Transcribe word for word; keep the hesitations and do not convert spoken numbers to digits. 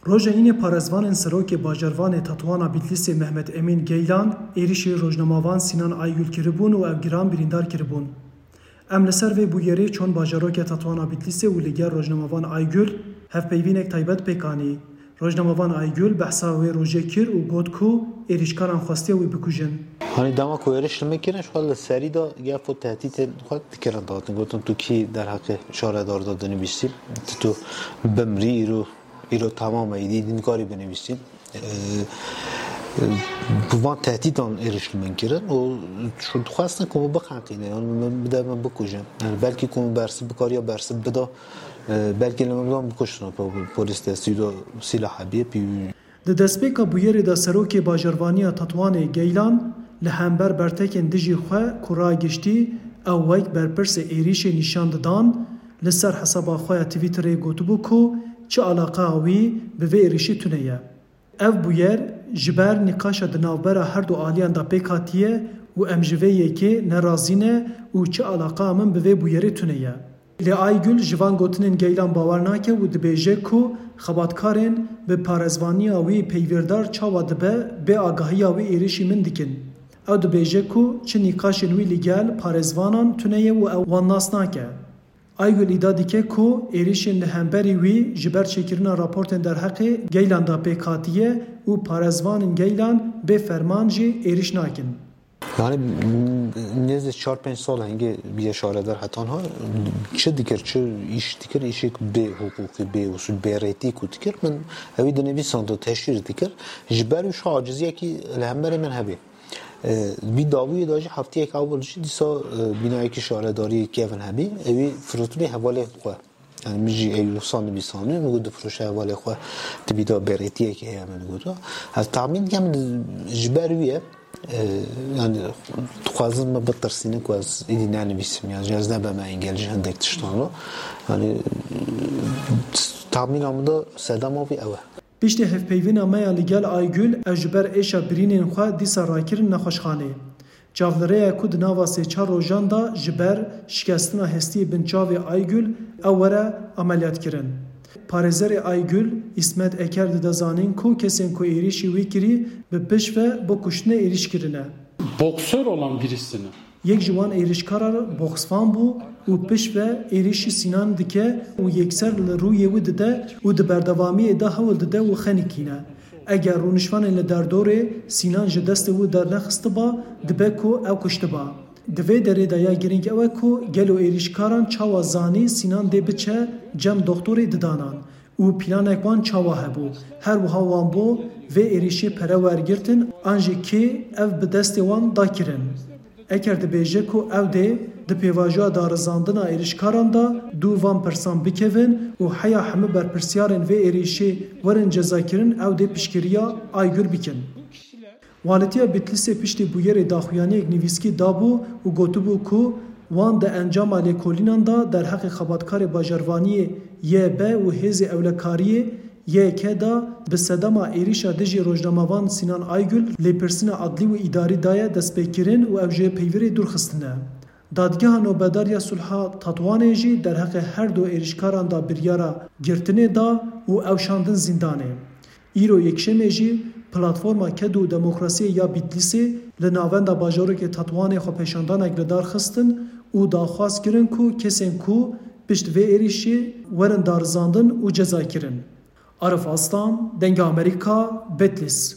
Roja Înê parêzvanên serokê bajarvanê Tetwana Bîtlîsê Mehmet Emîn Geylan êrîşî rojnamevan Sinan Aygül kiribûn û ev giran birîndar kiribûn. Em li ser vê bûyerê çûn bajarokê Tetwana Bîtlîsê û li gel rojnamevan Aygül hevpeyvînek taybet pêk anî. Rojnamevan Aygül behsa wê rojê kir û got ku êrîşkaran xwestiye wî bikujin. Hani dema ku êrîş li min kirin, ji xwe li serî de gefo tehdîtên xwe dikirin, dihatin gotin, tu kî derheqê şaredar de dinivîsî, tu, tu bimrî, îro, îro tamam e, îdî, îdî nikarî binivîsî. Ee, e, bi van tehdîtan êrîş li min kirin û şu dixwestin ku min biqenqîne, yan min bide min bikujin. Yani belkî ku min bersiv bikariya bersiv bida, e, belkî li min bidan bikuştin, po-, polîs destî de sîlah hebiye, pî Di destpêka bûyerê de serokê bajarvaniya Tetwanê Geylan li hember bertekên dijî xwe ku ragiştî ew wek berpirsê êrîşê nîşan didan, li ser hesaba xwe ya Twitterê gotibû ku çi alaqa wî bi vê êrîşî tune ye. Ev bûyer ji ber nîqaşa di navbera her du aliyan de pêk hatiye û em ji vê yekê nerazî ne û çi alaqa min bi vê bûyerê tune ye. Lê Aygül ji van gotinên Geylan bawer nake û dibêje ku xebatkarên bi parêzvaniya wî peywêrdar çawa dibe bê agahiya wî êrîşî min dikin. Ew dibêje ku çi nîqaşên wî li gel parêzvanan tune ye û ew wan nas nake. Aygül îdia dike ku êrîşên li hemberî wî ji ber çêkirina raportên derheqê Geylan de pêk hatiye û parêzvanên Geylan bê ferman jî êrîş nakin. Yani, m-, nêzî çar pênc sal hingê bîye şaredar hetan ha, çi dikir, çi îş dikir, îşek bê hiqûqî, bê usul, bê rêtî ku dikir, min ewî dinivîsand û teşhîr dikir. Ji ber wî şu aciziyekî li hemberê min hebê. E, vî dawiyê de jî heftiyek ewil jî dîsa, e, bînayekî şaredariyê Kevin hebî, ewî firotibê hevalê xwe. Yani min jî ey wisa nivîsandî, min got difiroşe hevalê xwe, tibî de bêrêtiyekê heye, min got. Ez tahmîn dikim ji ber wî ye, e, yani dixwazin min bitirsînin ku ez îdî nenivîsim, yani ez nebeme engel ji hindek tiştan re. Yani tahmîna min de sedema vî ew e. Piştî hevpeyvîna me ya li gel Aygül, ew ji ber êşa birînên xwe dîsa rakirin nexweşxanê. Çavlirêya ku di nava sê çar rojan de ji ber şikestina hestiyê binçavê Aygül ew were ameliyatkirin. Parêzerê Aygül, Îsmet Eker dide zanîn ku kesên ku êrîşî wî kirî bi piş ve bo kuştinê êrîş kirine. Boksör olan birisini. Yek ji wan êrîşkaran boksvan bû û piş ve êrîşî Sînan dike û yekser li rûyê wî dide û di berdewamiyê de hewl dide wî xenikîne. Eger rûnişvanên li derdorê Sînan ji destê wî dernexistiba, dibe ku ew kuştiba. Di vê derê de ya girîng ew e ku gelo êrîşkaran çawa zanî Sînan dê biçe cem doxtorê didanan û planek wan çawa hebû? Her wiha wan bo vê êrîşê pere wergirtin an jî kê ev bi destê wan da kirin? Eker dibêje ku ew dê di pêvajoya darizandina êrîşkaran de dû van pirsan bikevin û heya hemû berpirsyarên vê êrîşê werin cezakirin, ew dê piştgiriya Aygül bikin. Walîtiya Bitlîsê piştî bûyerê daxuyaniyek nivîskî dabû û gotibû ku wan di encama lêkolînan de derheqê xebatkarê bajarvaniyê Y B û hêzê ewlekariyê Y K de bi sedema êrîşa dijî rojnamevan Sînan Aygül lêpirsîna adlî û îdarî daye destpêkirin û ew ji peyvîrê dûr xistine. Dadgeha Nobedar ya Sulha Tetwanê jî derheqê her du êrîşkaran de biryara girtinê da û ew şandin zîndanê. Îro Yekşemê jî Platforma Ked û Demokrasiyê ya Bitlîsê li navenda bajarokê Tetwanê xwepêşandanek li dar xistin û daxwaz kirin ku kesên ku pişt vê êrîşê werin darizandin û ceza kirin. Arif Aslan, Dengê Amerîka, Bitlîs.